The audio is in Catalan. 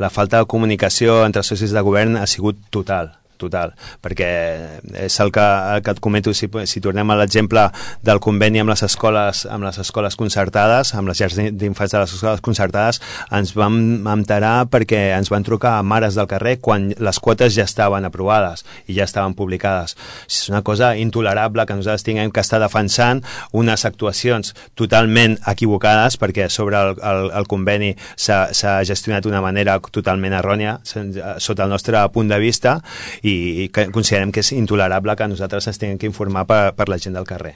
la falta de comunicació entre els socis de govern ha sigut total, perquè és el que et comento. Si tornem a l'exemple del conveni amb les escoles concertades, amb les llars d'infants de les escoles concertades, ens vam enterar perquè ens van trucar a mares del carrer quan les quotes ja estaven aprovades i ja estaven publicades. És una cosa intolerable que nosaltres tinguem que estar defensant unes actuacions totalment equivocades, perquè sobre el conveni s'ha gestionat d'una manera totalment errònia sota el nostre punt de vista, i considerem que és intolerable que nosaltres ens tinguem que informar per la gent del carrer.